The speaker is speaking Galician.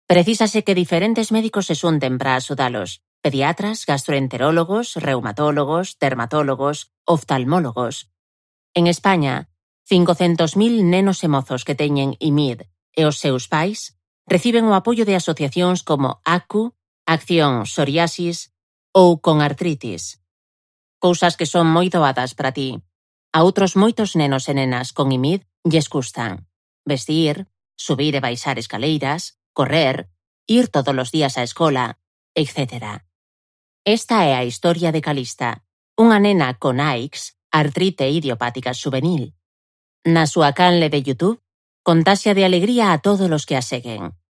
Precísase que diferentes médicos se xunten para axudalos: pediatras, gastroenterólogos, reumatólogos, dermatólogos, oftalmólogos. En España, 500.000 nenos e mozos que teñen IMID e os seus pais reciben o apoio de asociacións como ACU, Acción Psoriasis ou Con Artritis. Cousas que son moi doadas para ti. A outros moitos nenos e nenas con IMID lles custan vestir, subir e baixar escaleiras, correr, ir todos os días á escola, etc. Esta é a historia de Calista, unha nena con AIX, artrite idiopática xuvenil. Na súa canle de YouTube, contaxia de alegría a todos os que a seguen.